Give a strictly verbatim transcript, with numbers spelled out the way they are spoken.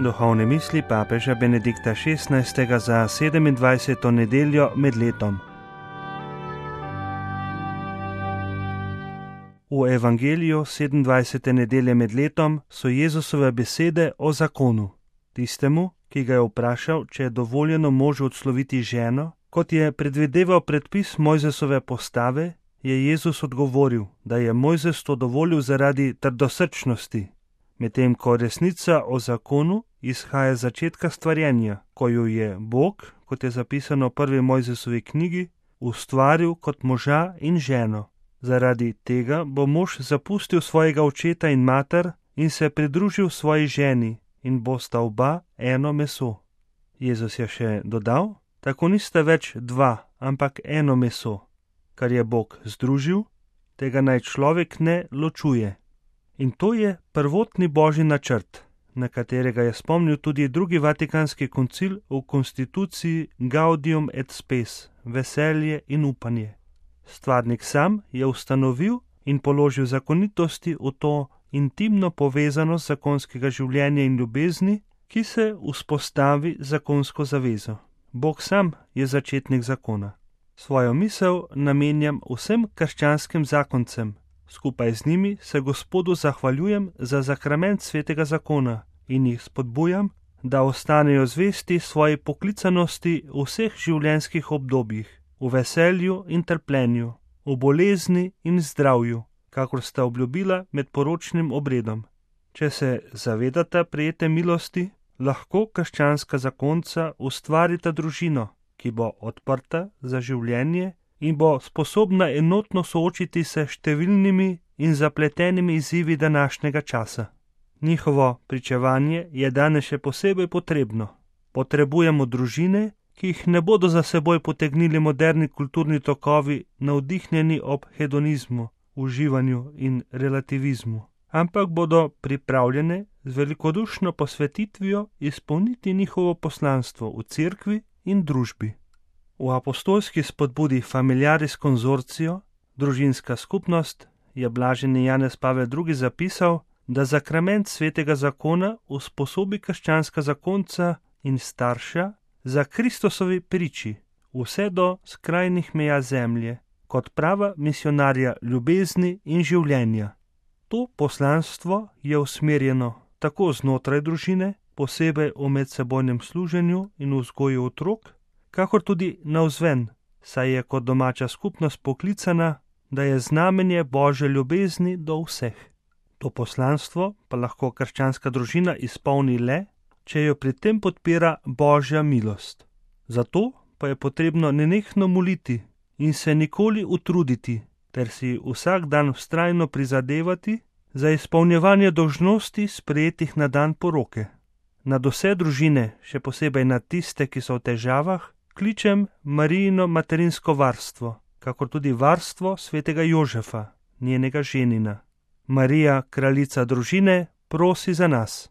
Duhovne misli papeža Benedikta šestnajstega za sedemindvajseto nedeljo med letom. V evangeliju sedemindvajsete nedelje med letom so Jezusove besede o zakonu. Tistemu, ki ga je vprašal, če je dovoljeno možu odsloviti ženo, kot je predvideval predpis Mojzesove postave, je Jezus odgovoril, da je Mojzes to dovolil zaradi trdosrčnosti, medtem ko resnica o zakonu izhaja iz začetka stvarjenja, ko jo je Bog, kot je zapisano v prvi Mojzesovi knjigi, ustvaril kot moža in ženo. Zaradi tega bo mož zapustil svojega očeta in mater in se pridružil svoji ženi in bosta oba eno meso. Jezus je še dodal, tako nista več dva, ampak eno meso. Kar je Bog združil, tega naj človek ne ločuje. In to je prvotni božji načrt, na katerega je spomnil tudi drugi vatikanski koncil v konstituciji Gaudium et Spes, veselje in upanje. Stvarnik sam je ustanovil in položil zakonitosti v to intimno povezanost zakonskega življenja in ljubezni, ki se vzpostavi zakonsko zavezo. Bog sam je začetnik zakona. Svojo misel namenjam vsem krščanskim zakoncem. Skupaj z njimi se Gospodu zahvaljujem za zakrament svetega zakona in jih spodbujam, da ostanejo zvesti svoji poklicanosti v vseh življenjskih obdobjih, v veselju in trpljenju, v bolezni in zdravju, kakor sta obljubila med poročnim obredom. Če se zavedata prejete milosti, lahko krščanska zakonca ustvarita družino, ki bo odprta za življenje in bo sposobna enotno soočiti se številnimi in zapletenimi izzivi današnjega časa. Njihovo pričevanje je danes še posebej potrebno. Potrebujemo družine, ki jih ne bodo za seboj potegnili moderni kulturni tokovi, navdihnjeni ob hedonizmu, uživanju in relativizmu, ampak bodo pripravljene z velikodušno posvetitvijo izpolniti njihovo poslanstvo v cerkvi in družbi. V apostolski spodbudi Familiaris Consortio, družinska skupnost, je blaženi Janez Pavel drugi zapisal, da zakrament svetega zakona usposobi krščanska zakonca in starša za Kristusovi priči, vse do skrajnih meja zemlje, kot prava misionarja ljubezni in življenja. To poslanstvo je usmerjeno tako znotraj družine, posebej v medsebojnem služenju in vzgoji otrok, kakor tudi navzven, saj je kot domača skupnost poklicana, da je znamenje Božje ljubezni do vseh. To poslanstvo pa lahko krščanska družina izpolni le, če jo pri tem podpira Božja milost. Zato pa je potrebno nenehno moliti in se nikoli utruditi, ter si vsak dan vztrajno prizadevati za izpolnjevanje dolžnosti sprejetih na dan poroke. Nad vse družine, še posebej nad tiste, ki so v težavah, kličem Marijino materinsko varstvo, kakor tudi varstvo svetega Jožefa, njenega ženina. Marija, kraljica družine, prosi za nas.